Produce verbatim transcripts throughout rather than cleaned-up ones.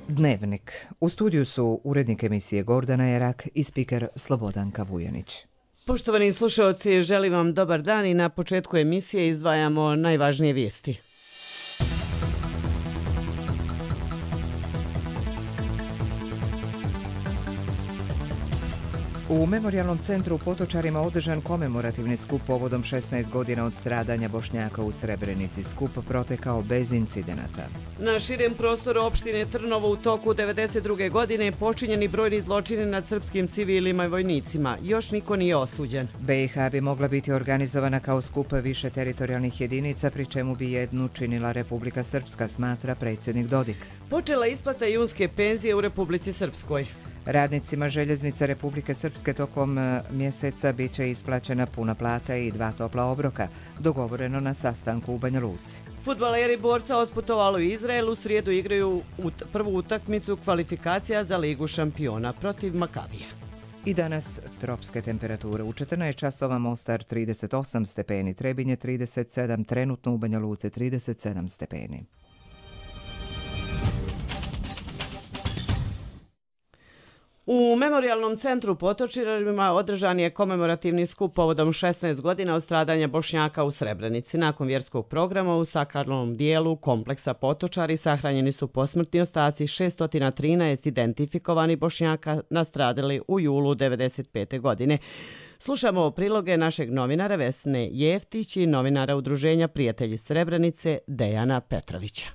Dnevnik. U studiju su urednik emisije Gordana Jerak i spiker Slobodanka Vujanić. Poštovani slušalci, želim vam dobar dan i na početku emisije izdvajamo najvažnije vijesti. U Memorijalnom centru u Potočarima održan komemorativni skup povodom šesnaest godina od stradanja Bošnjaka u Srebrenici. Skup protekao bez incidenata. Na širem prostoru opštine Trnovo u toku devedeset druge godine počinjeni brojni zločini nad srpskim civilima i vojnicima. Još niko nije osuđen. B i H bi mogla biti organizovana kao skup više teritorijalnih jedinica, pri čemu bi jednu činila Republika Srpska, smatra predsjednik Dodik. Počela isplata junske penzije u Republici Srpskoj. Radnicima Željeznice Republike Srpske tokom mjeseca bit će isplaćena puna plata i dva topla obroka, dogovoreno na sastanku u Banja Luci. Fudbaleri Borca otputovali u Izrael, u srijedu igraju ut- prvu utakmicu kvalifikacija za Ligu šampiona protiv Makabija. I danas tropske temperature. U četrnaest časova Mostar trideset osam stepeni, Trebinje trideset sedam, trenutno u Banja Luci trideset sedam stepeni. U Memorijalnom centru u Potočarima održan je komemorativni skup povodom šesnaest godina od stradanja Bošnjaka u Srebrenici. Nakon vjerskog programa u sakralnom dijelu kompleksa Potočari sahranjeni su posmrtni ostaci šesto trinaest identifikovani Bošnjaka nastradali u julu devedeset pete godine. Slušamo priloge našeg novinara Vesne Jeftić i novinara Udruženja Prijatelji Srebrenice Dejana Petrovića.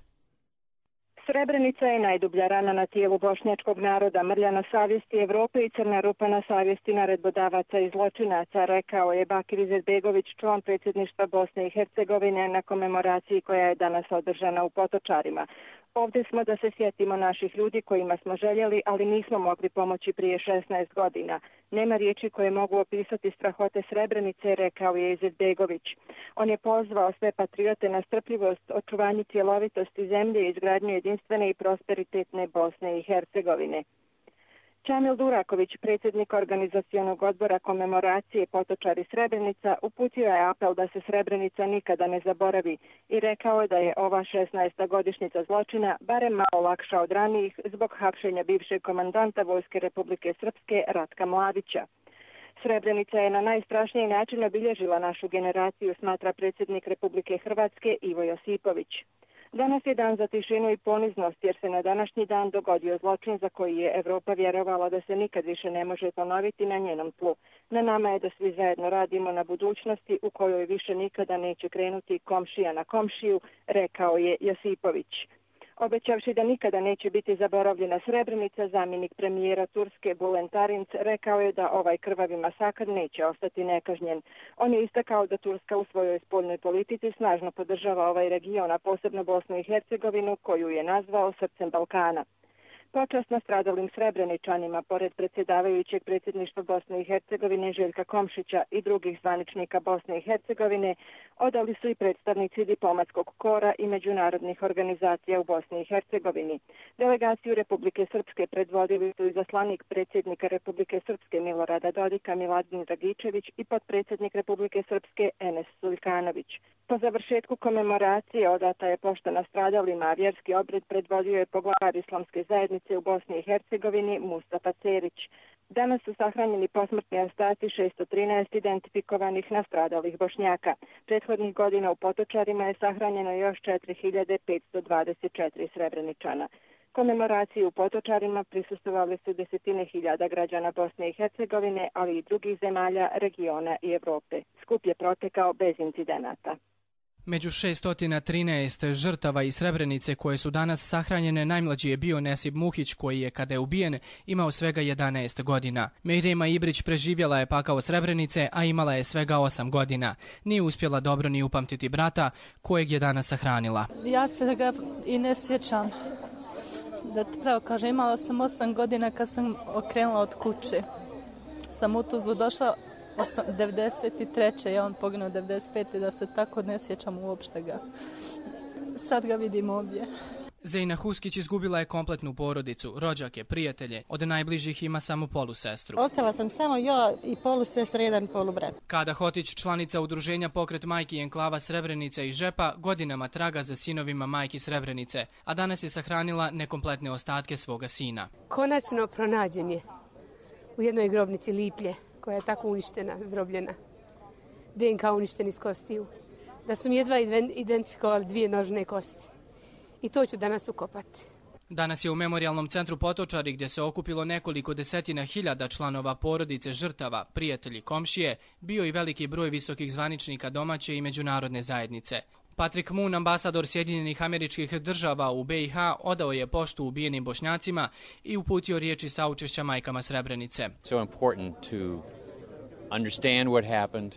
Srebrenica je najdublja rana na tijelu bošnjačkog naroda, mrlja na savjesti Evrope i crna rupa na savjesti naredbodavaca i zločinaca, rekao je Bakir Izetbegović, član predsjedništva Bosne i Hercegovine na komemoraciji koja je danas održana u Potočarima. Ovdje smo da se sjetimo naših ljudi kojima smo željeli, ali nismo mogli pomoći prije šesnaest godina. Nema riječi koje mogu opisati strahote Srebrenice, rekao je Izetbegović. On je pozvao sve patriote na strpljivost, očuvanju cjelovitosti zemlje i izgradnju jedinstvene i prosperitetne Bosne i Hercegovine. Čamil Duraković, predsjednik organizacionog odbora komemoracije Potočari Srebrenica, uputio je apel da se Srebrenica nikada ne zaboravi i rekao je da je ova šesnaesta godišnjica zločina barem malo lakša od ranijih zbog hapšenja bivšeg komandanta Vojske Republike Srpske Ratka Mladića. Srebrenica je na najstrašniji način obilježila našu generaciju, smatra predsjednik Republike Hrvatske Ivo Josipović. Danas je dan za tišinu i poniznost jer se na današnji dan dogodio zločin za koji je Evropa vjerovala da se nikad više ne može ponoviti na njenom tlu. Na nama je da svi zajedno radimo na budućnosti u kojoj više nikada neće krenuti komšija na komšiju, rekao je Josipović. Obećavši da nikada neće biti zaboravljena Srebrenica, zamjenik premijera Turske Bülent Arınç rekao je da ovaj krvavi masakr neće ostati nekažnjen. On je istakao da Turska u svojoj spoljnoj politici snažno podržava ovaj region, a posebno Bosnu i Hercegovinu, koju je nazvao srcem Balkana. Počast nastradalim Srebreničanima, pored predsjedavajućeg predsjedništva Bosne i Hercegovine Željka Komšića i drugih zvaničnika Bosne i Hercegovine, odali su i predstavnici diplomatskog kora i međunarodnih organizacija u Bosni i Hercegovini. Delegaciju Republike Srpske predvodili su izaslanik predsjednika Republike Srpske Milorada Dodika Miladin Dragičević i potpredsjednik Republike Srpske Enes Sulkanović. Po završetku komemoracije odata je pošta nastradalima, a vjerski obred predvodio je poglavar Islamske zajednice u Bosni i Hercegovini Mustafa Cerić. Danas su sahranjeni posmrtni ostaci šesto trinaest identifikovanih nastradalih Bošnjaka. Prethodnih godina u Potočarima je sahranjeno još četiri hiljade petsto dvadeset četiri Srebreničana. Komemoraciji u Potočarima prisustvovali su desetine hiljada građana Bosne i Hercegovine, ali i drugih zemalja, regiona i Evrope. Skup je protekao bez incidenata. Među šesto trinaest žrtava iz Srebrenice koje su danas sahranjene, najmlađi je bio Nesib Muhić koji je, kada je ubijen, imao svega jedanaest godina. Mejrema Ibrić preživjela je pakao Srebrenice, a imala je svega osam godina. Nije uspjela dobro ni upamtiti brata kojeg je danas sahranila. Ja se ga i ne sjećam. Da ti pravo kažem, imala sam osam godina kad sam okrenula od kuće. Sam u Tuzlu došla devedeset treće je on poginuo devedeset pete da se tako ne sjećam uopšte ga. Sad ga vidim ovdje. Zejna Huskić izgubila je kompletnu porodicu, rođake, prijatelje. Od najbližih ima samo polusestru. Ostala sam samo ja i polusestra, jedan polubrat. Kada Hotić, članica udruženja Pokret majki i enklava Srebrenica i Žepa, godinama traga za sinovima majki Srebrenice, a danas je sahranila nekompletne ostatke svoga sina. Konačno pronađen je u jednoj grobnici Liplje, koja je tako uništena, zdrobljena. D N K uništen iz kostiju. Da su mi jedva identifikovali dvije nožne kosti. I to ću danas ukopati. Danas je u Memorijalnom centru Potočari, gdje se okupilo nekoliko desetina hiljada članova porodice žrtava, prijatelji, komšije, bio i veliki broj visokih zvaničnika domaće i međunarodne zajednice. Patrick Moon, ambasador Sjedinjenih Američkih Država u B i H, odao je poštu ubijenim Bošnjacima i uputio riječi saučešća majkama Srebrenice. So important to understand what happened,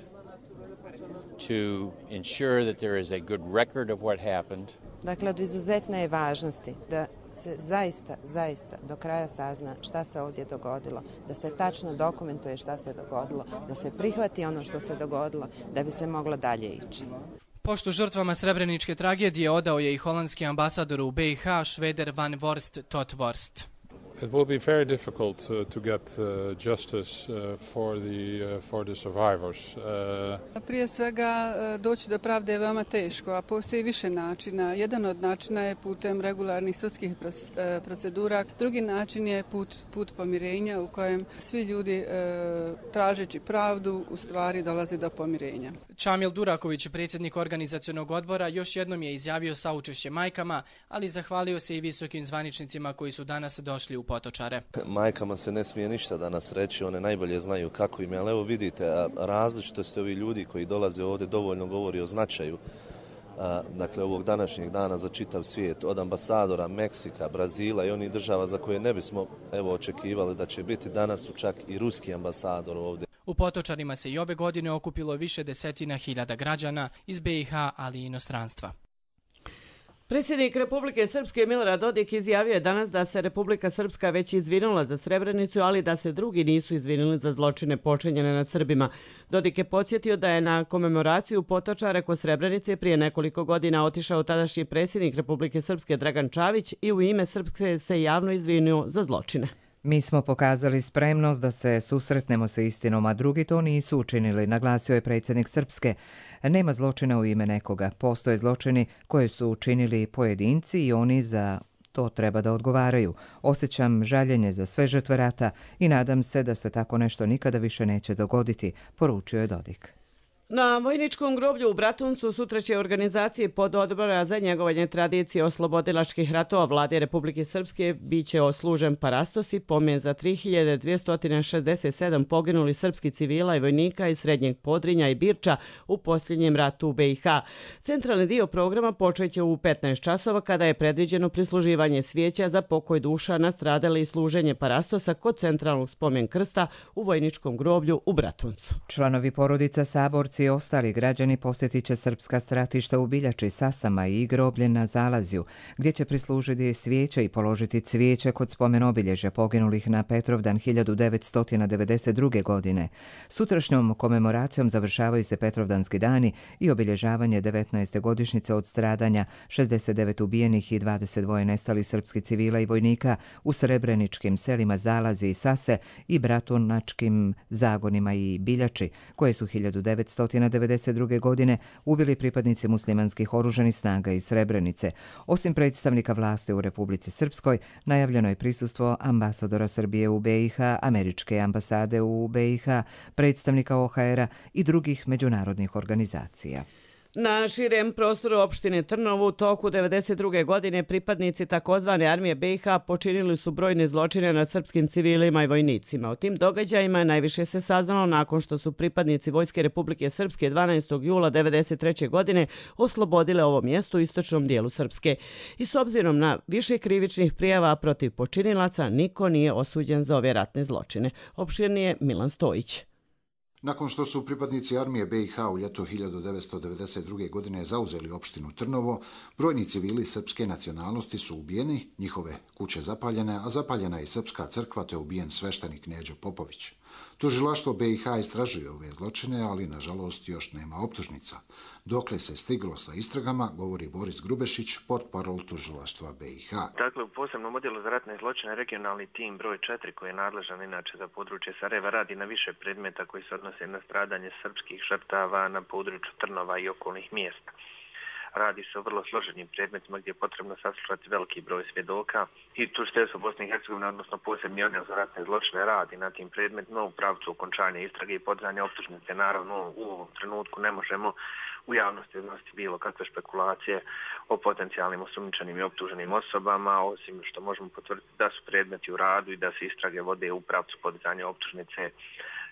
to ensure that there is a good record of what happened. Dakle, od izuzetne je važnosti da se zaista, zaista do kraja sazna šta se ovdje dogodilo, da se tačno dokumentuje šta se dogodilo, da se prihvati ono što se dogodilo, da bi se moglo dalje ići. Poštu žrtvama srebreničke tragedije odao je i holandski ambasador u B i H, Šveder van Vorst tot Vorst. It will be very difficult uh, to get uh, justice uh, for the uh, for the survivors. Uh... Prije svega doći do pravde je veoma teško, a postoji više načina. Jedan od načina je putem regularnih sudskih procedura, drugi način je put put pomirenja u kojem svi ljudi uh, tražeći pravdu u stvari dolaze do pomirenja. Čamil Duraković, predsjednik organizacionog odbora, još jednom je izjavio saučešće majkama, ali zahvalio se i visokim zvaničnicima koji su danas došli u Potočare. Majkama se ne smije ništa danas reći, one najbolje znaju kako im je, ali evo vidite, različitost ovi ljudi koji dolaze ovdje dovoljno govori o značaju dakle ovog današnjeg dana za čitav svijet, od ambasadora Meksika, Brazila i onih država za koje ne bismo evo očekivali da će biti, danas su čak i ruski ambasador ovdje. U Potočarima se i ove godine okupilo više desetina hiljada građana iz B i H, ali i inostranstva. Predsjednik Republike Srpske Milorad Dodik izjavio je danas da se Republika Srpska već izvinula za Srebrenicu, ali da se drugi nisu izvinuli za zločine počinjene nad Srbima. Dodik je podsjetio da je na komemoraciju Potočare kod Srebrenice prije nekoliko godina otišao tadašnji predsjednik Republike Srpske Dragan Čavić i u ime Srpske se javno izvinio za zločine. Mi smo pokazali spremnost da se susretnemo sa istinom, a drugi to nisu učinili, naglasio je predsjednik Srpske. Nema zločina u ime nekoga. Postoje zločini koje su učinili pojedinci i oni za to treba da odgovaraju. Osjećam žaljenje za sve žrtve rata i nadam se da se tako nešto nikada više neće dogoditi, poručio je Dodik. Na vojničkom groblju u Bratuncu sutra će organizaciji pododbora za njegovanje tradicije oslobodilačkih ratova Vlade Republike Srpske biće oslužen parastos i pomen za tri hiljade dvjesto šezdeset sedam poginuli srpski civila i vojnika iz Srednjeg Podrinja i Birča u posljednjem ratu u B i H. Centralni dio programa počeće u petnaest časova kada je predviđeno prisluživanje svijeća za pokoj duša nastradali i služenje parastosa kod centralnog spomen krsta u vojničkom groblju u Bratuncu. Članovi porodica, saborci i ostali građani posjetit će srpska stratišta u Biljači, Sasama i groblje na Zalazju, gdje će prislužiti svijeće i položiti cvijeće kod spomen obilježja poginulih na Petrovdan hiljadu devetsto devedeset druge. godine. Sutrašnjom komemoracijom završavaju se Petrovdanski dani i obilježavanje devetnaeste godišnjice od stradanja šezdeset devet ubijenih i dvadeset dva nestalih srpskih civila i vojnika u srebreničkim selima Zalazi i Sase i bratunačkim zagonima i Biljači, koje su hiljadu devetsto devedeset druge. godine ubili pripadnici muslimanskih oružanih snaga iz Srebrenice. Osim predstavnika vlasti u Republici Srpskoj, najavljeno je prisustvo ambasadora Srbije u B i H, američke ambasade u B i H, predstavnika O H R-a i drugih međunarodnih organizacija. Na širem prostoru opštine Trnovo u toku devedeset druge. godine pripadnici takozvane armije B i H počinili su brojne zločine nad srpskim civilima i vojnicima. O tim događajima najviše se saznalo nakon što su pripadnici Vojske Republike Srpske dvanaestog jula devedeset treće. godine oslobodile ovo mjesto u istočnom dijelu Srpske. I s obzirom na više krivičnih prijava protiv počinilaca, niko nije osuđen za ove ratne zločine. Opširnije Milan Stojić. Nakon što su pripadnici armije B i H u ljeto hiljadu devetsto devedeset druge. godine zauzeli opštinu Trnovo, brojni civili srpske nacionalnosti su ubijeni, njihove kuće zapaljene, a zapaljena je i srpska crkva te ubijen sveštenik Neđo Popović. Tužilaštvo B i H istražuje ove zločine, ali nažalost još nema optužnica. Dokle se stiglo sa istragama, govori Boris Grubešić, portparol tužilaštva B i H. Dakle, u posebnom odjelu za ratne zločine regionalni tim broj četiri, koji je nadležan inače za područje Sarajeva, radi na više predmeta koji se odnose na stradanje srpskih žrtava na području Trnova i okolnih mjesta. Radi se o vrlo složenim predmetima gdje je potrebno saslušati veliki broj svjedoka i tužiteljstvo Bosne i Hercegovine, odnosno posebni odjel za ratne zločine, radi na tim predmetima u pravcu okončanja istrage i podizanja optužnice. Naravno, u ovom trenutku ne možemo u javnosti iznositi bilo kakve špekulacije o potencijalnim osumnjičenim i optuženim osobama, osim što možemo potvrditi da su predmeti u radu i da se istrage vode u pravcu podizanja optužnice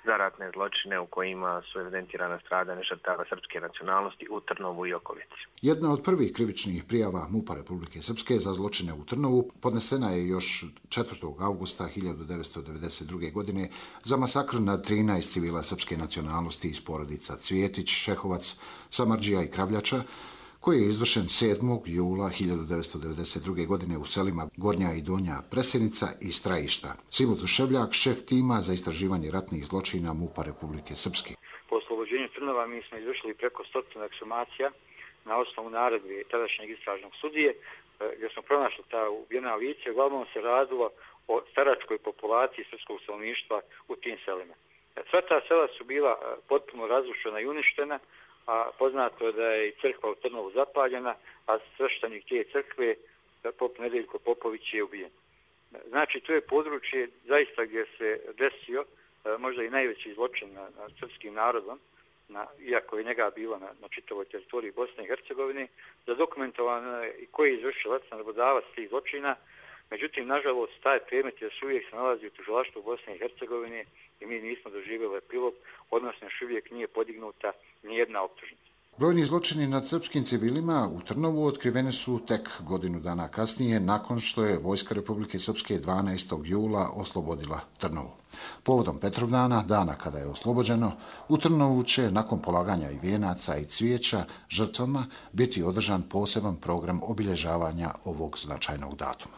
za ratne zločine u kojima su evidentirana stradanja žrtava srpske nacionalnosti u Trnovu i okolici. Jedna od prvih krivičnih prijava MUP-a Republike Srpske za zločine u Trnovu podnesena je još četvrtog avgusta hiljadu devetsto devedeset druge. godine za masakr nad trinaest civila srpske nacionalnosti iz porodica Cvjetić, Šehovac, Samardžija i Kravljača, koji je izvršen sedmog jula hiljadu devetsto devedeset druge. godine u selima Gornja i Donja Presenica i Strajišta. Simo Tuševljak, šef tima za istraživanje ratnih zločina MUP-a Republike Srpske. Po oslobođenju Trnova mi smo izvršili preko stotine eksumacija na osnovu naredbe tadašnjeg istražnog sudije, gdje smo pronašli ta ubijena lica. Uglavnom se radilo o staračkoj populaciji srpskog stanovništva u tim selima. Sva ta sela su bila potpuno razrušena i uništena, a poznato je da je i crkva u Trnovu zapaljena, a sveštenik te crkve, pop Nedeljko Popović, je ubijen. Znači, to je područje zaista gdje se desio možda i najveći zločin nad na srpskim narodom, na, iako je njega bilo na, na čitavoj teritoriji Bosne i Hercegovine, zadokumentovano i koji je izvršilac, naredbodavac tih zločina. Međutim, nažalost, taj predmet još uvijek se nalazi u tužilaštvu Bosne i Hercegovine i mi nismo doživjeli epilog, odnosno još uvijek nije podignuta nijedna optužnica. Brojni zločini nad srpskim civilima u Trnovu otkriveni su tek godinu dana kasnije, nakon što je Vojska Republike Srpske dvanaestog jula oslobodila Trnovu. Povodom Petrovdana, dana kada je oslobođeno, u Trnovu će nakon polaganja i vijenaca i cvijeća žrtvama biti održan poseban program obilježavanja ovog značajnog datuma.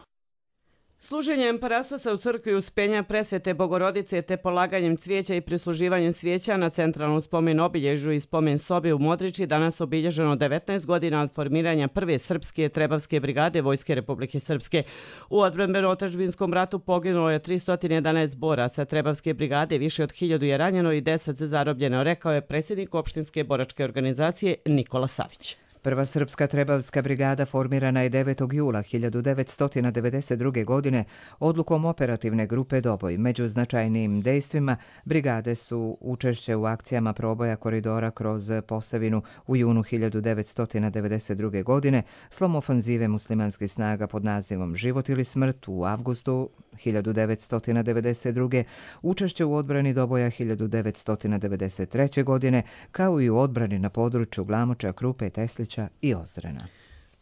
Služenjem parastosa u crkvi Uspenja Presvete Bogorodice te polaganjem cvijeća i prisluživanjem svijeća na centralnom spomen obilježju i spomen sobi u Modriči danas obilježeno devetnaest godina od formiranja prve srpske trebavske brigade Vojske Republike Srpske. U odbrambeno-otadžbinskom ratu poginulo je tristo jedanaest boraca trebavske brigade, više od hiljadu je ranjeno i deset zarobljeno, rekao je predsjednik opštinske boračke organizacije Nikola Savić. Prva srpska trebavska brigada formirana je devetog jula hiljadu devetsto devedeset druge. godine odlukom operativne grupe Doboj. Među značajnijim dejstvima brigade su učešće u akcijama proboja koridora kroz Posavinu u junu hiljadu devetsto devedeset druge. godine, slom ofanzive muslimanskih snaga pod nazivom Život ili smrt u avgustu hiljadu devetsto devedeset druge. učešće u odbrani Doboja hiljadu devetsto devedeset treće. godine, kao i u odbrani na području Glamoča, Krupe, Teslića i Ozrena.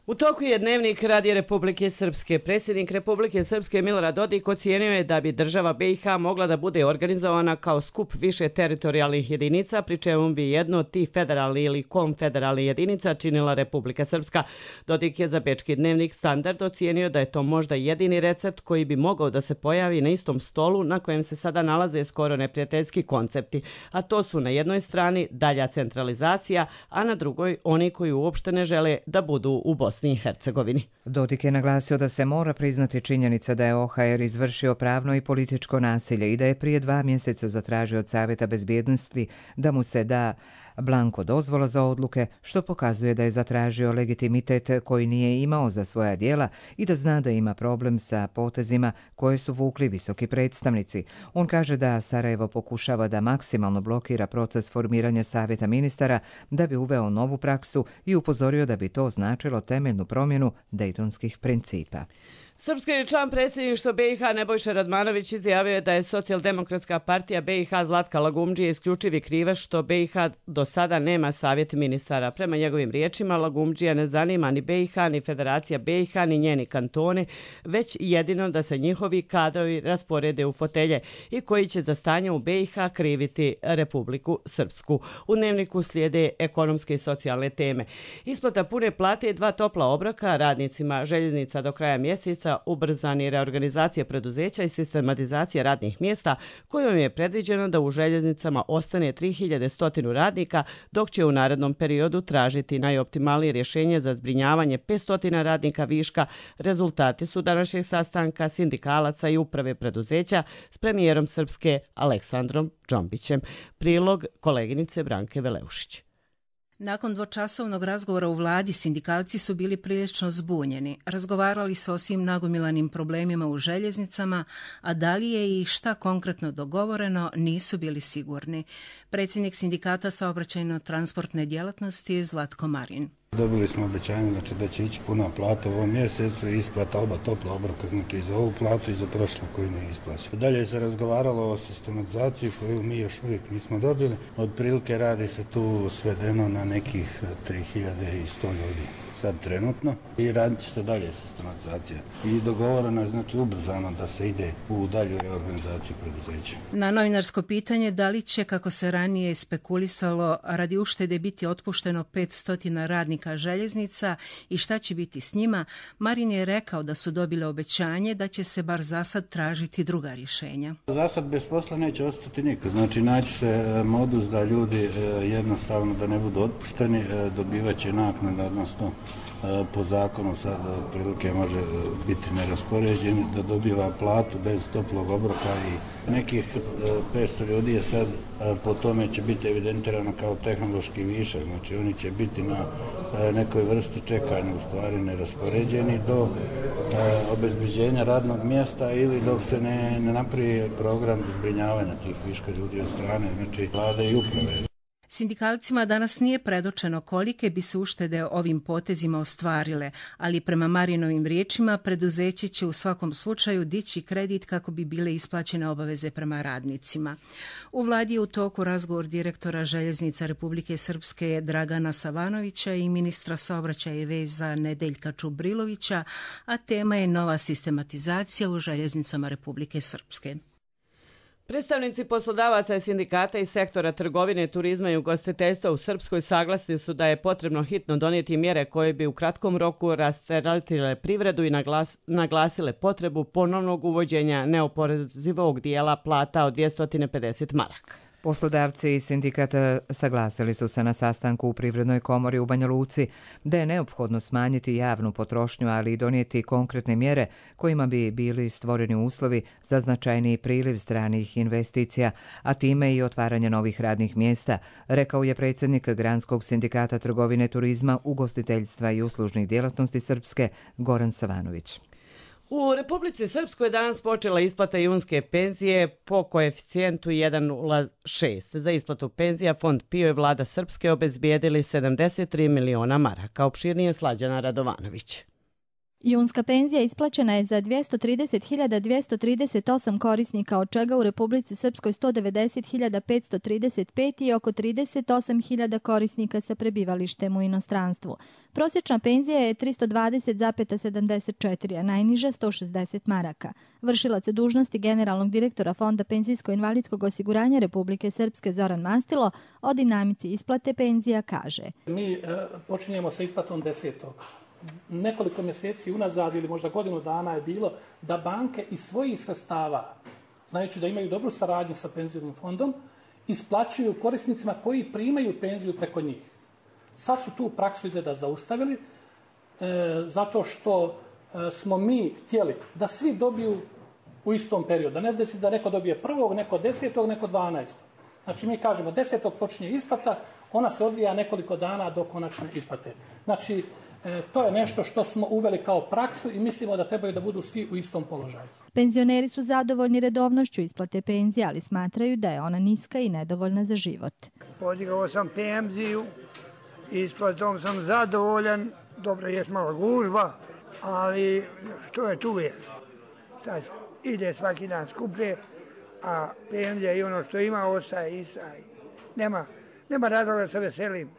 U toku je dnevnik Radija Republike Srpske. Predsjednik Republike Srpske Milorad Dodik ocijenio je da bi država B i H mogla da bude organizovana kao skup više teritorijalnih jedinica, pri čemu bi jedno od tih federalnih ili konfederalnih jedinica činila Republika Srpska. Dodik je za bečki dnevnik Standard ocijenio da je to možda jedini recept koji bi mogao da se pojavi na istom stolu na kojem se sada nalaze skoro neprijateljski koncepti, a to su na jednoj strani dalja centralizacija, a na drugoj oni koji uopšte ne žele da budu u Bosni i Hercegovini. Dodik je naglasio da se mora priznati činjenica da je O H R izvršio pravno i političko nasilje i da je prije dva mjeseca zatražio od Savjeta bezbjednosti da mu se da blanko dozvola za odluke, što pokazuje da je zatražio legitimitet koji nije imao za svoja djela i da zna da ima problem sa potezima koje su vukli visoki predstavnici. On kaže da Sarajevo pokušava da maksimalno blokira proces formiranja Savjeta ministara da bi uveo novu praksu i upozorio da bi to značilo temeljnu promjenu dejtonskih principa. Srpski član predsjedništva B i H Nebojša Radmanović izjavio je da je Socijaldemokratska partija B i H Zlatka Lagumdžije isključivi krivac što B i H do sada nema savjet ministara. Prema njegovim riječima, Lagumdžija ne zanima ni B i H, ni Federacija B i H, ni njeni kantone, već jedino da se njihovi kadrovi rasporede u fotelje i koji će za stanje u B i H kriviti Republiku Srpsku. U dnevniku slijede ekonomske i socijalne teme. Isplata pune plate i dva topla obroka radnicima željeznica do kraja mjeseca paketa ubrzani reorganizacije preduzeća i sistematizacije radnih mjesta, kojom je predviđeno da u željeznicama ostane tri hiljade sto radnika, dok će u narednom periodu tražiti najoptimalnije rješenje za zbrinjavanje petsto radnika viška. Rezultati su današnjeg sastanka sindikalaca i uprave preduzeća s premijerom Srpske Aleksandrom Džombićem. Prilog koleginice Branke Veleušić. Nakon dvočasovnog razgovora u vladi, sindikalci su bili prilično zbunjeni. Razgovarali su o svim nagomilanim problemima u željeznicama, a da li je i šta konkretno dogovoreno, nisu bili sigurni. Predsjednik sindikata saobraćajno-transportne djelatnosti Zlatko Marin. Dobili smo obećanje znači, da će ići puna plata u ovom mjesecu i isplata oba topla obroka, znači i za ovu platu i za prošlu koju nije isplaćena. Dalje se razgovaralo o sistematizaciji koju mi još uvijek nismo dobili. Otprilike radi se tu svedeno na nekih tri hiljade sto ljudi sad trenutno i radit će se dalje sistematizacija. I dogovoreno je znači ubrzano da se ide u dalju reorganizaciju preduzeća. Na novinarsko pitanje da li će, kako se ranije spekulisalo, radi uštede biti otpušteno petsto radnika željeznica i šta će biti s njima, Marin je rekao da su dobile obećanje da će se bar zasad tražiti druga rješenja. Zasad bez posla neće ostati niko. Znači naći se modus da ljudi jednostavno da ne budu otpušteni, dobivat će naknada, odnosno po zakonu sad otprilike može biti neraspoređen, da dobiva platu bez toplog obroka i nekih petsto ljudi je sad po tome će biti evidentirano kao tehnološki višak, znači oni će biti na nekoj vrsti čekanja, u stvari neraspoređeni do obezbeđenja radnog mjesta ili dok se ne, ne napravi program zbrinjavanja tih viška ljudi od strane, znači vlade i uprave. Sindikalcima danas nije predočeno kolike bi se uštede ovim potezima ostvarile, ali prema Marinovim riječima preduzeće će u svakom slučaju dići kredit kako bi bile isplaćene obaveze prema radnicima. U vladi je u toku razgovor direktora Željeznica Republike Srpske Dragana Savanovića i ministra saobraćaja i veza Nedeljka Čubrilovića, a tema je nova sistematizacija u željeznicama Republike Srpske. Predstavnici poslodavaca i sindikata iz sektora trgovine, turizma i ugostiteljstva u Srpskoj saglasni su da je potrebno hitno donijeti mjere koje bi u kratkom roku rasteretile privredu i naglas, naglasile potrebu ponovnog uvođenja neoporezivog dijela plata od dvjesto pedeset maraka. Poslodavci i sindikata saglasili su se na sastanku u Privrednoj komori u Banja Luci da je neophodno smanjiti javnu potrošnju, ali i donijeti konkretne mjere kojima bi bili stvoreni uslovi za značajniji priliv stranih investicija, a time i otvaranje novih radnih mjesta, rekao je predsjednik Granskog sindikata trgovine, turizma, ugostiteljstva i uslužnih djelatnosti Srpske Goran Savanović. U Republici Srpskoj je danas počela isplata junske penzije po koeficijentu jedan zarez šest. Za isplatu penzija Fond PIO i vlada Srpske obezbijedili sedamdeset tri miliona maraka. Opširnije Slađana Radovanović. Junska penzija isplaćena je za dvjesto trideset hiljada dvjesto trideset osam korisnika, od čega u Republici Srpskoj sto devedeset hiljada petsto trideset pet i oko trideset osam hiljada korisnika sa prebivalištem u inostranstvu. Prosječna penzija je tristo dvadeset zarez sedamdeset četiri, a najniža sto šezdeset maraka. Vršilac dužnosti generalnog direktora Fonda penzijsko-invalidskog osiguranja Republike Srpske Zoran Mastilo o dinamici isplate penzija kaže: Mi e, počinjemo sa isplatom desetog. Nekoliko mjeseci unazad ili možda godinu dana je bilo da banke iz svojih sredstava, znajući da imaju dobru saradnju sa penzijskim fondom, isplaćuju korisnicima koji primaju penziju preko njih. Sad su tu praksu izgleda zaustavili, e, zato što e, smo mi htjeli da svi dobiju u istom periodu. Da ne desi da neko dobije prvog, neko desetog, neko dvanaestog. Znači mi kažemo desetog počinje isplata, ona se odvija nekoliko dana do konačne isplate. Znači e, to je nešto što smo uveli kao praksu i mislimo da trebaju da budu svi u istom položaju. Penzioneri su zadovoljni redovnošću isplate penzije, ali smatraju da je ona niska i nedovoljna za život. Podigao sam penziju, isplatom sam zadovoljan, dobro je malo gužba, ali što je tu je. Sad ide svaki dan skuplje, a penzija i ono što ima ostaje ista. Nema, nema razloga da se veselim.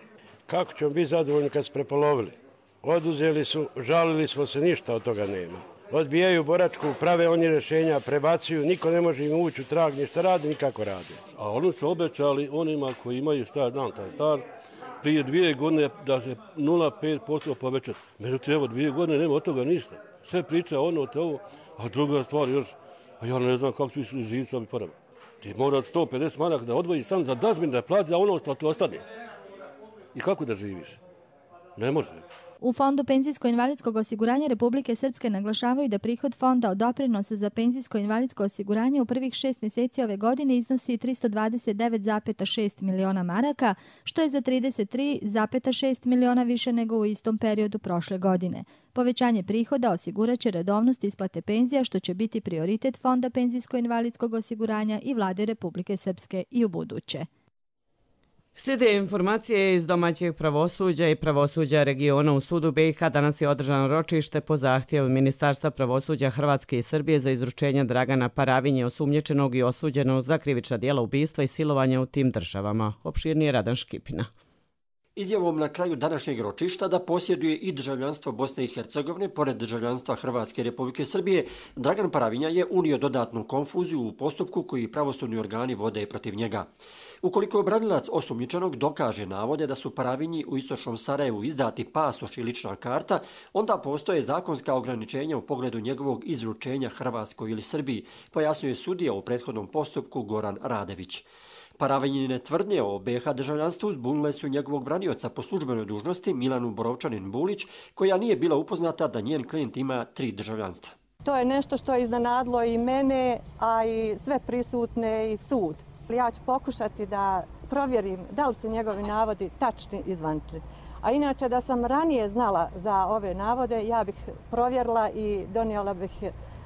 Kako ćemo biti zadovoljni kad su prepolovili? Oduzeli su, žalili smo se, ništa od toga nema. Odbijaju boračku, prave oni rješenja, prebacuju, niko ne može im ući u trag, ništa radi, nikako radi. A oni su obećali onima koji imaju staž, znam taj staž, prije dvije godine da se nula zarez pet posto povećati. Međutim, evo dvije godine nema od toga ništa. Sve priče ono te ovo, a druga stvar još, a ja ne znam kako su išli živci ovi porama. Ti mora sto pedeset maraka da odvojiš sam za dažbin da plati, a ono što ti ostane. I kako da živiš? Ne može. U Fondu penzijsko-invalidskog osiguranja Republike Srpske naglašavaju da prihod fonda od doprinosa za penzijsko-invalidsko osiguranje u prvih šest mjeseci ove godine iznosi tristo dvadeset devet zarez šest miliona maraka, što je za trideset tri zarez šest miliona više nego u istom periodu prošle godine. Povećanje prihoda osiguraće redovnost isplate penzija, što će biti prioritet Fonda penzijsko-invalidskog osiguranja i Vlade Republike Srpske i u buduće. Slijede informacije iz domaćeg pravosuđa i pravosuđa regiona. U sudu B i H danas je održano ročište po zahtjevu Ministarstva pravosuđa Hrvatske i Srbije za izručenje Dragana Paravinje, osumnjičenog i osuđenog za krivična djela ubistva i silovanja u tim državama. Opširnije Radan Škipina. Izjavom na kraju današnjeg ročišta da posjeduje i državljanstvo Bosne i Hercegovine, pored državljanstva Hrvatske i Republike Srbije, Dragan Paravinja je unio dodatnu konfuziju u postupku koji pravosudni organi vode protiv njega. Ukoliko obranilac osumnjičenog dokaže navode da su Paravinji u istočnom Sarajevu izdati pasoš i lična karta, onda postoje zakonska ograničenja u pogledu njegovog izručenja Hrvatskoj ili Srbiji, pojasnjuje sudija u prethodnom postupku Goran Radević. Paravinjine tvrdnje o B H državljanstvu zbunile su njegovog branioca po službenoj dužnosti Milanu Borovčanin-Bulić, koja nije bila upoznata da njen klijent ima tri državljanstva. To je nešto što je iznenadilo i mene, a i sve prisutne i sud. Ja ću pokušati da provjerim da li su njegovi navodi tačni i zvančni. A inače, da sam ranije znala za ove navode, ja bih provjerila i donijela bih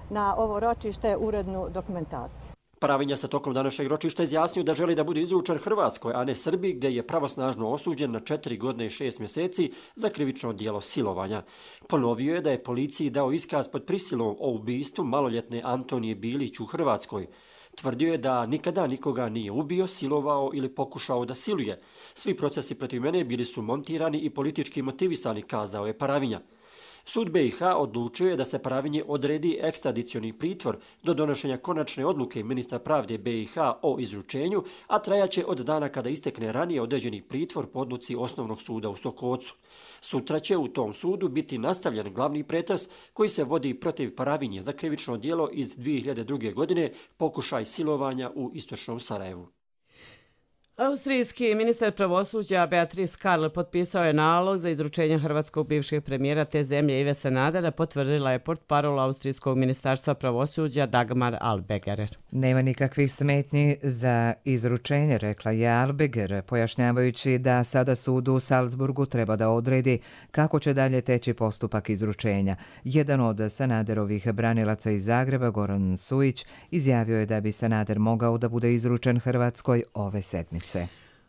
na ovo ročište urednu dokumentaciju. Paravinja se tokom današnjeg ročišta izjasnio da želi da bude izručen Hrvatskoj, a ne Srbiji, gdje je pravosnažno osuđen na četiri godine i šest mjeseci za krivično djelo silovanja. Ponovio je da je policiji dao iskaz pod prisilom o ubistvu maloljetne Antonije Bilić u Hrvatskoj. Tvrdio je da nikada nikoga nije ubio, silovao ili pokušao da siluje. Svi procesi protiv mene bili su montirani i politički motivisani, kazao je Paravinja. Sud B i H odlučio je da se Paravinji odredi ekstradicioni pritvor do donošenja konačne odluke ministra pravde B i H o izručenju, a trajaće od dana kada istekne ranije određeni pritvor po odluci Osnovnog suda u Sokocu. Sutra će u tom sudu biti nastavljen glavni pretres koji se vodi protiv Paravinje za krivično djelo iz dvije hiljade druge. godine, pokušaj silovanja u istočnom Sarajevu. Austrijski ministar pravosuđa Beatrice Karl potpisao je nalog za izručenje hrvatskog bivšeg premijera te zemlje Ive Sanadera, potvrdila je portparol Austrijskog ministarstva pravosuđa Dagmar Albegerer. Nema nikakvih smetnji za izručenje, rekla je Albeger, pojašnjavajući da sada sud u Salzburgu treba da odredi kako će dalje teći postupak izručenja. Jedan od Sanaderovih branilaca iz Zagreba, Goran Sujić, izjavio je da bi Sanader mogao da bude izručen Hrvatskoj ove sedmice.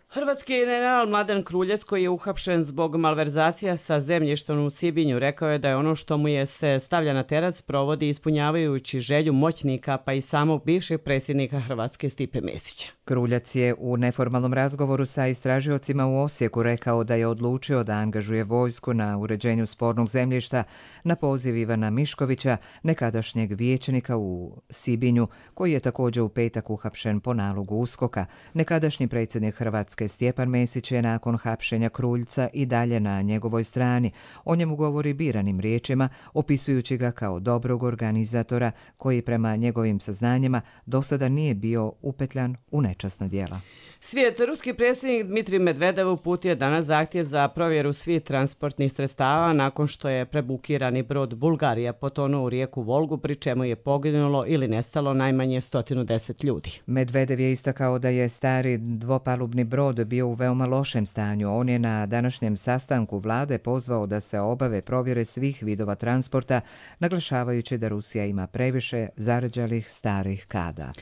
Hrvatski general Mladen Kruljac, koji je uhapšen zbog malverzacija sa zemljištom u Sibinju, rekao je da je ono što mu je se stavlja na teret sprovodi ispunjavajući želju moćnika pa i samog bivšeg predsjednika Hrvatske Stipe Mesića. Kruljac je u neformalnom razgovoru sa istražiocima u Osijeku rekao da je odlučio da angažuje vojsku na uređenju spornog zemljišta na poziv Ivana Miškovića, nekadašnjeg vijećnika u Sibinju, koji je također u petak uhapšen po nalogu USKOK-a. Nekadašnji predsjednik Hrvatske Stjepan Mesić je nakon hapšenja Kruljca i dalje na njegovoj strani. O njemu govori biranim riječima, opisujući ga kao dobrog organizatora koji prema njegovim saznanjima do sada nije bio upetljan u nečasna djela. Svijet, ruski predsjednik Dmitrij Medvedev uputio danas zahtjev za provjeru svih transportnih sredstava nakon što je prebukirani brod Bulgarija potonuo u rijeku Volgu, pri čemu je poginulo ili nestalo najmanje sto deset ljudi. Medvedev je istakao da je stari dvopalubni brod bio u veoma lošem stanju. On je na današnjem sastanku vlade pozvao da se obave provjere svih vidova transporta, naglašavajući da Rusija ima previše zarđalih starih kada.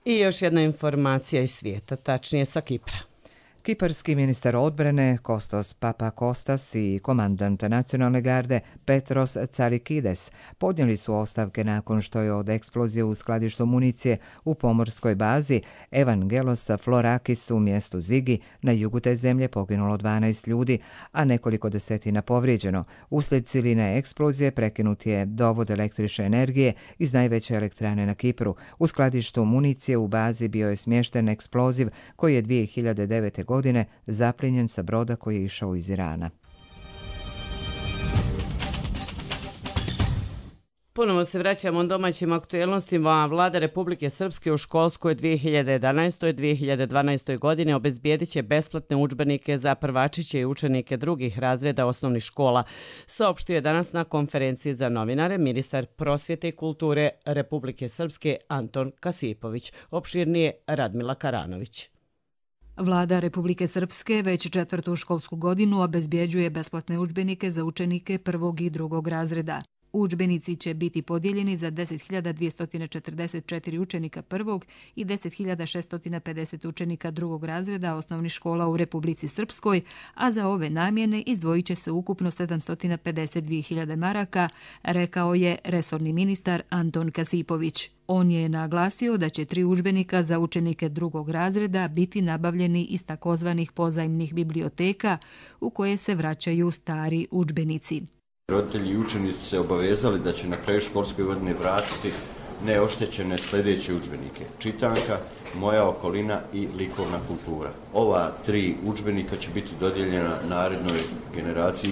I još jedna informacija iz svijeta, tačnije sa Kipra. Kiparski ministar odbrane Kostos Papakostas i komandant nacionalne garde Petros Tsarikides podnijeli su ostavke nakon što je od eksplozije u skladištu municije u pomorskoj bazi Evangelos Florakis u mjestu Zigi na jugu te zemlje poginulo dvanaest ljudi, a nekoliko desetina povrijeđeno. Uslijed siline eksplozije prekinut je dovod električne energije iz najveće elektrane na Kipru. U skladištu municije u bazi bio je smješten eksploziv koji je dvije hiljade devete. godine zapljenjen sa broda koji je išao iz Irana. Ponovo se vraćamo domaćim aktuelnostima. Vlada Republike Srpske u školskoj dvije hiljade jedanaestoj dvije hiljade dvanaestoj godine obezbijedit će besplatne udžbenike za prvačiće i učenike drugih razreda osnovnih škola. Saopštio je danas na konferenciji za novinare ministar prosvjete i kulture Republike Srpske Anton Kasipović. Opširnije Radmila Karanović. Vlada Republike Srpske već četvrtu školsku godinu obezbjeđuje besplatne udžbenike za učenike prvog i drugog razreda. Udžbenici će biti podijeljeni za deset hiljada dvjesto četrdeset četiri učenika prvog i deset hiljada šesto pedeset učenika drugog razreda osnovnih škola u Republici Srpskoj, a za ove namjene izdvojit će se ukupno sedamsto pedeset dvije hiljade maraka, rekao je resorni ministar Anton Kasipović. On je naglasio da će tri udžbenika za učenike drugog razreda biti nabavljeni iz takozvanih pozajmnih biblioteka u koje se vraćaju stari udžbenici. Roditelji i učenici se obavezali da će na kraju školske godine vratiti neoštećene sljedeće udžbenike: čitanka, moja okolina i likovna kultura. Ova tri udžbenika će biti dodijeljena narednoj generaciji.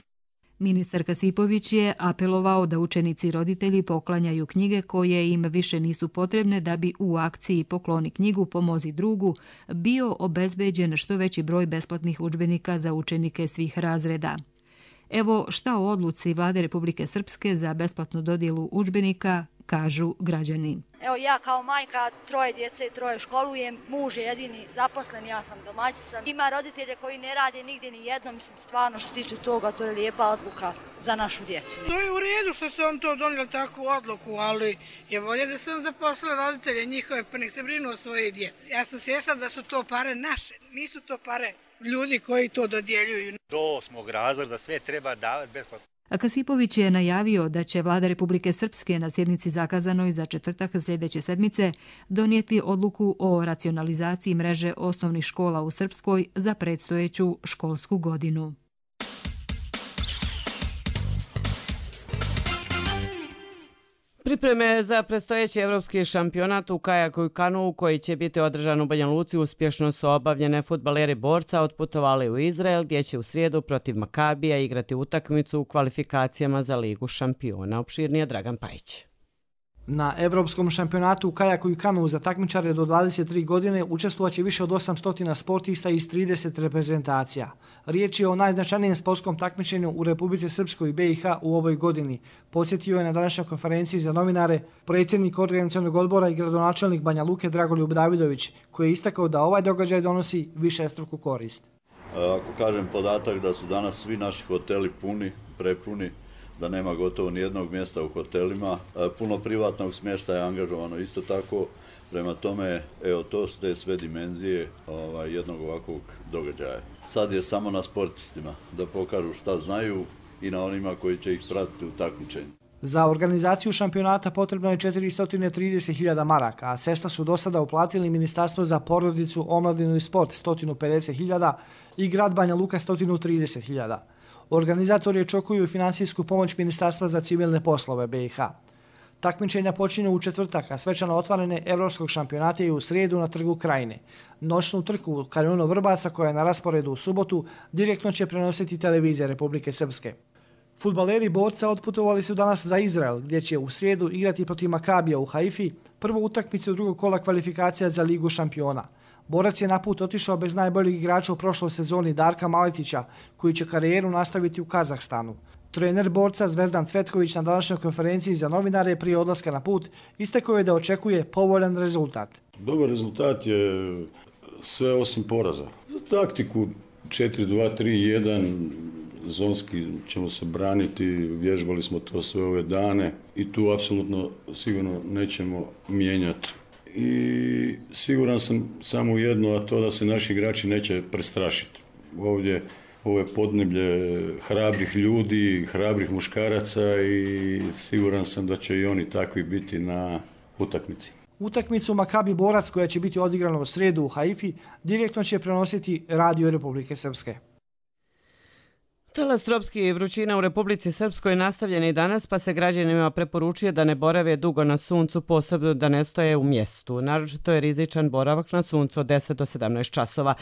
Ministar Kasipović je apelovao da učenici i roditelji poklanjaju knjige koje im više nisu potrebne da bi u akciji Pokloni knjigu, pomozi drugu bio obezbeđen što veći broj besplatnih udžbenika za učenike svih razreda. Evo šta o odluci Vlade Republike Srpske za besplatnu dodjelu udžbenika kažu građani. Evo ja kao majka troje djece i troje školujem, muž je jedini zaposlen, ja sam domaćica. Ima roditelje koji ne rade nigdje ni jednom, stvarno što se tiče toga, to je lijepa odluka za našu djecu. To je u redu što se on to donijeli takvu odluku, ali je bolje da se on zaposlio roditelje njihove, pa nek se brinu o svoje djece. Ja sam svjesna da su to pare naše, nisu to pare ljudi koji to dodjeljuju. Do osmog razreda sve treba davati besplatno. A Kasipović je najavio da će Vlada Republike Srpske na sjednici zakazanoj za četvrtak sljedeće sedmice donijeti odluku o racionalizaciji mreže osnovnih škola u Srpskoj za predstojeću školsku godinu. Pripreme za predstojeći evropski šampionat u kajaku i kanu koji će biti održan u Banja Luci uspješno su obavljene. Fudbaleri Borca otputovali u Izrael gdje će u srijedu protiv Makabija igrati utakmicu u kvalifikacijama za Ligu šampiona. Opširnije Dragan Pajić. Na Evropskom šampionatu u kajaku i kanu za takmičare do dvadeset tri godine učestvovaće više od osamsto sportista iz trideset reprezentacija. Riječ je o najznačajnijem sportskom takmičenju u Republici Srpskoj i B i H u ovoj godini. Podsjetio je na današnjoj konferenciji za novinare predsjednik organizacionog odbora i gradonačelnik Banja Luke Dragoljub Davidović, koji je istakao da ovaj događaj donosi višestruku korist. Ako kažem podatak da su danas svi naši hoteli puni, prepuni, da nema gotovo nijednog mjesta u hotelima, puno privatnog smještaja je angažovano isto tako, prema tome, evo, to su te sve dimenzije ovaj, jednog ovakvog događaja. Sad je samo na sportistima da pokažu šta znaju i na onima koji će ih pratiti u takmičenju. Za organizaciju šampionata potrebno je četiristo trideset hiljada maraka, a sredstva su do sada uplatili Ministarstvo za porodicu, omladinu i sport sto pedeset hiljada i grad Banja Luka sto trideset hiljada. Organizatori očekuju finansijsku pomoć Ministarstva za civilne poslove B i H. Takmičenja počinju u četvrtak, a svečano otvaranje Evropskog šampionata je u srijedu na Trgu Krajine. Noćnu trku u Kanjonu Vrbasa, koja je na rasporedu u subotu, direktno će prenositi televizija Republike Srpske. Fudbaleri Borca otputovali su danas za Izrael, gdje će u srijedu igrati protiv Makabija u Haifi, prvu utakmicu drugog kola kvalifikacija za Ligu šampiona. Borac je na put otišao bez najboljeg igrača u prošloj sezoni Darka Maletića, koji će karijeru nastaviti u Kazahstanu. Trener Borca Zvezdan Cvetković na današnjoj konferenciji za novinare prije odlaska na put istakao je da očekuje povoljan rezultat. Dobar rezultat je sve osim poraza. Za taktiku četiri dva tri jedan zonski ćemo se braniti, vježbali smo to sve ove dane i tu apsolutno sigurno nećemo mijenjati. I siguran sam samo jedno, a to da se naši igrači neće prestrašiti. Ovdje ovo je podneblje hrabrih ljudi, hrabrih muškaraca i siguran sam da će i oni takvi biti na utakmici. Utakmicu Makabi Borac, koja će biti odigrana u srijedu u Haifi, direktno će prenositi Radio Republike Srpske. Talas tropskih vrućina u Republici Srpskoj nastavljen je danas, pa se građanima preporučuje da ne borave dugo na suncu, posebno da ne stoje u mjestu. Naročito je rizičan boravak na suncu od deset do sedamnaest časova.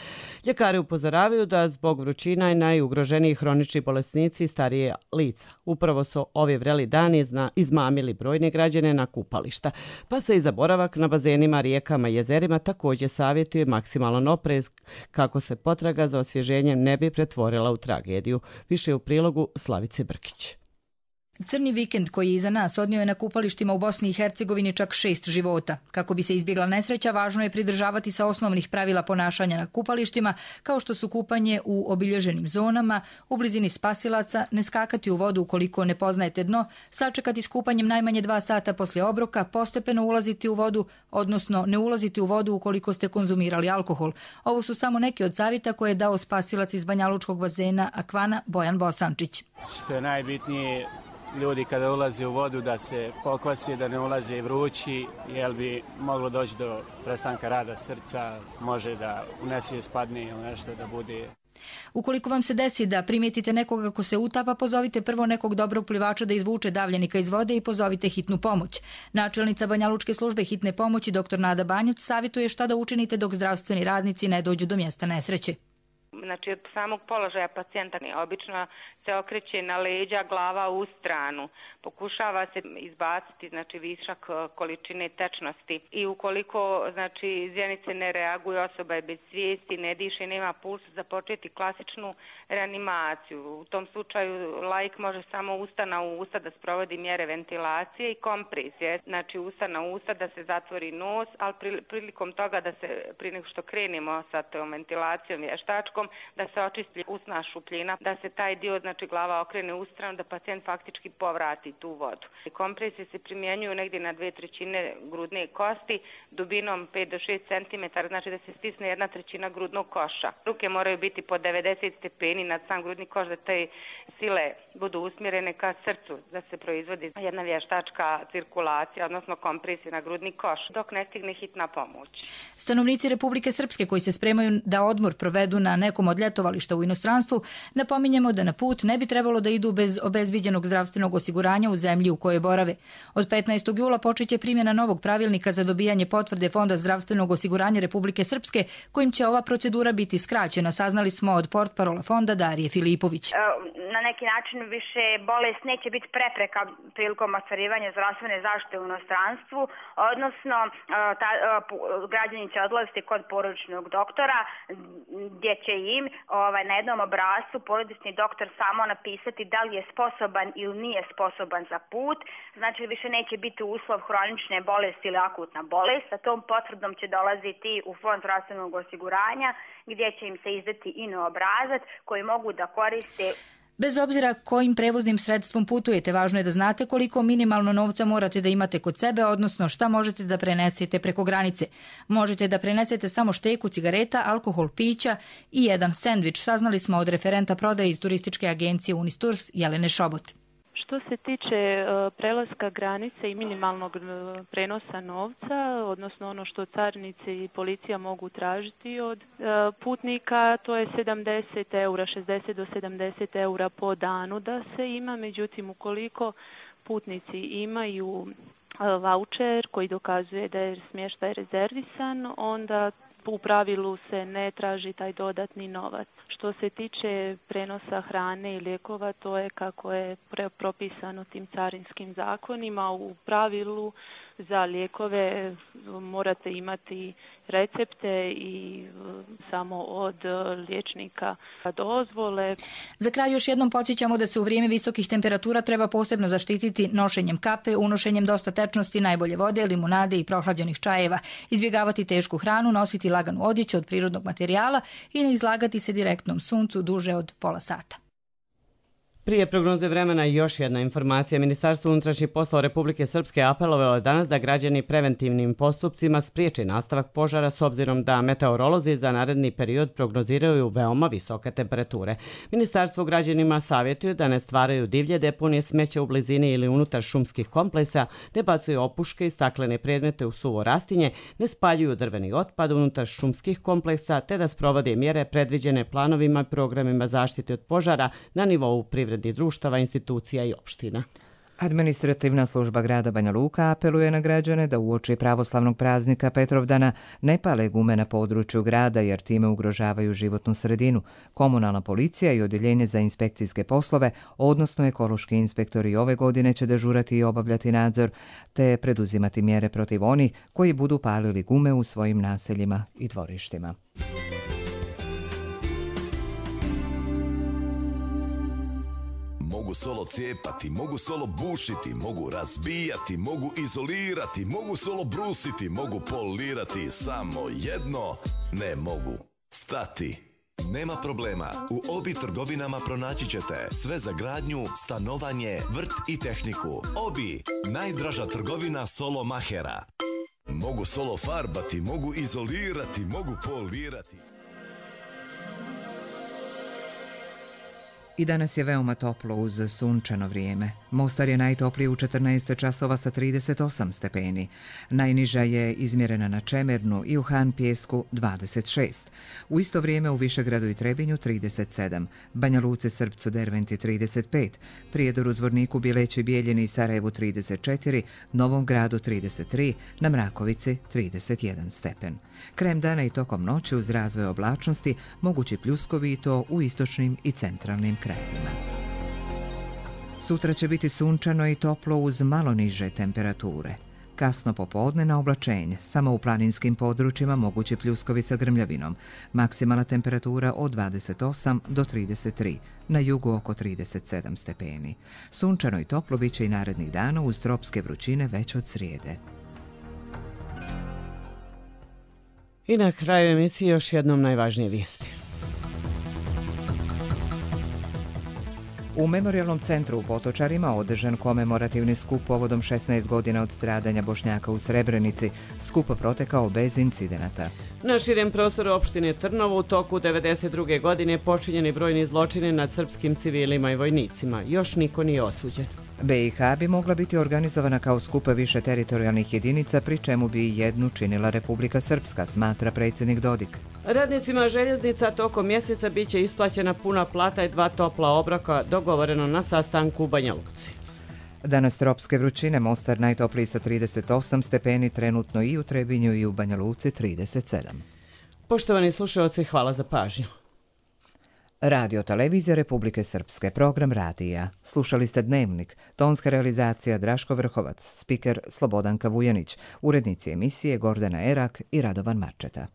Ljekari upozoravaju da zbog vrućina i najugroženiji hronični bolesnici i starije lica. Upravo su ovi vreli dani izmamili brojne građane na kupališta, pa se i za boravak na bazenima, rijekama i jezerima također savjetuje maksimalan oprez kako se potraga za osvježenjem ne bi pretvorila u tragediju. Više u prilogu Slavice Brkić. Crni vikend koji je iza nas odnio je na kupalištima u Bosni i Hercegovini čak šest života. Kako bi se izbjegla nesreća, važno je pridržavati se osnovnih pravila ponašanja na kupalištima, kao što su kupanje u obilježenim zonama, u blizini spasilaca, ne skakati u vodu ukoliko ne poznajete dno, sačekati s kupanjem najmanje dva sata poslije obroka, postepeno ulaziti u vodu, odnosno ne ulaziti u vodu ukoliko ste konzumirali alkohol. Ovo su samo neki od savjeta koje je dao spasilac iz banjalučkog bazena Akvana Bojan Bosančić. Što je najbitnije, ljudi kada ulaze u vodu da se pokvasi, da ne ulaze i vrući, jer bi moglo doći do prestanka rada srca, može da u nesvijest padne ili nešto da bude. Ukoliko vam se desi da primijetite nekoga ko se utapa, pozovite prvo nekog dobrog plivača da izvuče davljenika iz vode i pozovite hitnu pomoć. Načelnica Banjalučke službe hitne pomoći dr Nada Banjac savjetuje šta da učinite dok zdravstveni radnici ne dođu do mjesta nesreće. Znači, od samog položaja pacijenta obično se okreće na leđa, glava u stranu. Pokušava se izbaciti, znači, višak količine tečnosti. I ukoliko, znači, zjenice ne reaguju, osoba je bez svijesti, ne diše, nema pulsa, započeti klasičnu reanimaciju. U tom slučaju laik može samo usta na usta da sprovodi mjere ventilacije i kompresije. Znači, usta na usta da se zatvori nos, ali prilikom toga da se, prije nego što krenemo sa tom ventilacijom vještačkom, da se očisti usna šupljina, da se taj dio, znači glava okrene u stranu, da pacijent faktički povrati tu vodu. Kompresije se primjenjuju negdje na dvije trećine grudne kosti, dubinom pet do šest centimetara, znači da se stisne jedna trećina grudnog koša. Ruke moraju biti po devedeset stepeni nad sam grudni koš, da te sile budu usmjerene ka srcu, da se proizvodi jedna vještačka cirkulacija, odnosno kompresija na grudni koš, dok ne stigne hitna pomoć. Stanovnici Republike Srpske koji se spremaju da odmor provedu na nekom od ljetovališta u inostranstvu, napominjemo da na put ne bi trebalo da idu bez obezbiđenog zdravstvenog osiguranja u zemlji u kojoj borave. Od petnaestog jula počeće primjena novog pravilnika za dobijanje potvrde Fonda zdravstvenog osiguranja Republike Srpske, kojim će ova procedura biti skraćena, saznali smo od portparola fonda Darije Filipović. Na neki način više bolest neće biti prepreka prilikom ostvarivanja zdravstvene zaštite u inostranstvu, odnosno ta, građani će odlaziti kod porodičnog doktora gdje će im ovaj, na jednom obrascu porodični doktor samo napisati da li je sposoban ili nije sposoban za put. Znači više neće biti uslov hronične bolesti ili akutna bolest. Sa tom potvrdom će dolaziti u Fond zdravstvenog osiguranja gdje će im se izdati ino obrazac koji mogu da koriste. Bez obzira kojim prevoznim sredstvom putujete, važno je da znate koliko minimalno novca morate da imate kod sebe, odnosno šta možete da prenesete preko granice. Možete da prenesete samo šteku cigareta, alkohol, pića i jedan sendvič, saznali smo od referenta prodaje iz turističke agencije Unistours Jelene Šobot. Što se tiče prelaska granice i minimalnog prenosa novca, odnosno ono što carinici i policija mogu tražiti od putnika, to je sedamdeset eura, šezdeset do sedamdeset eura po danu da se ima, međutim ukoliko putnici imaju vaučer koji dokazuje da je smještaj rezervisan, onda u pravilu se ne traži taj dodatni novac. Što se tiče prenosa hrane i lijekova, to je kako je propisano tim carinskim zakonima. U pravilu za lijekove morate imati recepte i samo od liječnika dozvole. Za kraj još jednom podsjećamo da se u vrijeme visokih temperatura treba posebno zaštititi nošenjem kape, unošenjem dosta tečnosti, najbolje vode, limunade i prohlađenih čajeva, izbjegavati tešku hranu, nositi laganu odjeću od prirodnog materijala i ne izlagati se direktnom suncu duže od pola sata. Prije prognoze vremena još jedna informacija. Ministarstvo unutrašnjih poslova Republike Srpske apelovalo danas da građani preventivnim postupcima spriječe nastavak požara s obzirom da meteorolozi za naredni period prognoziraju veoma visoke temperature. Ministarstvo građanima savjetuje da ne stvaraju divlje deponije smeća u blizini ili unutar šumskih kompleksa, ne bacuju opuške i staklene predmete u suvo rastinje, ne spaljuju drveni otpad unutar šumskih kompleksa te da sprovode mjere predviđene planovima i programima zaštite od požara na nivou privrednih društava, institucija i opština. Administrativna služba grada Banja Luka apeluje na građane da uoči pravoslavnog praznika Petrovdana ne pale gume na području grada jer time ugrožavaju životnu sredinu. Komunalna policija i odjeljenje za inspekcijske poslove, odnosno ekološki inspektori ove godine će dežurati i obavljati nadzor te preduzimati mjere protiv onih koji budu palili gume u svojim naseljima i dvorištima. Mogu solo cijepati, mogu solo bušiti, mogu razbijati, mogu izolirati, mogu solo brusiti, mogu polirati, samo jedno ne mogu stati. Nema problema, u Obi trgovinama pronaći ćete sve za gradnju, stanovanje, vrt i tehniku. Obi, najdraža trgovina solo mahera. Mogu solo farbati, mogu izolirati, mogu polirati. I danas je veoma toplo uz sunčano vrijeme. Mostar je najtopliji u četrnaest časova sa trideset osam stepeni. Najniža je izmjerena na Čemernu i u Han Pijesku dvadeset šest. U isto vrijeme u Višegradu i Trebinju trideset sedam, Banja Luci, Srpcu, Derventi trideset pet, Prijedoru, Zvorniku, Bileći, Bijeljini i Sarajevu trideset četiri, Novom Gradu trideset tri, na Mrakovici trideset jedan stepen. Krajem dana i tokom noći uz razvoj oblačnosti mogući pljuskovi i to u istočnim i centralnim krajevima. Sutra će biti sunčano i toplo uz malo niže temperature. Kasno popodne na oblačenje, samo u planinskim područjima mogući pljuskovi sa grmljavinom. Maksimalna temperatura od dvadeset osam do trideset tri, na jugu oko trideset sedam stepeni. Sunčano i toplo bit će i narednih dana uz tropske vrućine već od srijede. I na kraju emisije još jednom najvažnije vijesti. U Memorijalnom centru u Potočarima održan komemorativni skup povodom šesnaest godina od stradanja Bošnjaka u Srebrenici. Skup protekao bez incidenata. Na širem prostoru opštine Trnovo u toku devedeset druge godine počinjeni brojni zločini nad srpskim civilima i vojnicima. Još niko nije osuđen. B i H bi mogla biti organizovana kao skup više teritorijalnih jedinica, pri čemu bi jednu činila Republika Srpska, smatra predsjednik Dodik. Radnicima željeznica tokom mjeseca bit će isplaćena puna plata i dva topla obroka, dogovoreno na sastanku u Banja Luci. Danas tropske vrućine, Mostar najtopliji sa trideset osam stepeni, trenutno i u Trebinju i u Banja Luci trideset sedam. Poštovani slušalci, hvala za pažnju. Radio Televizija Republike Srpske, program radija. Slušali ste Dnevnik, tonska realizacija Draško Vrhovac, spiker Slobodanka Vujanić, urednici emisije Gordana Erak i Radovan Marčeta.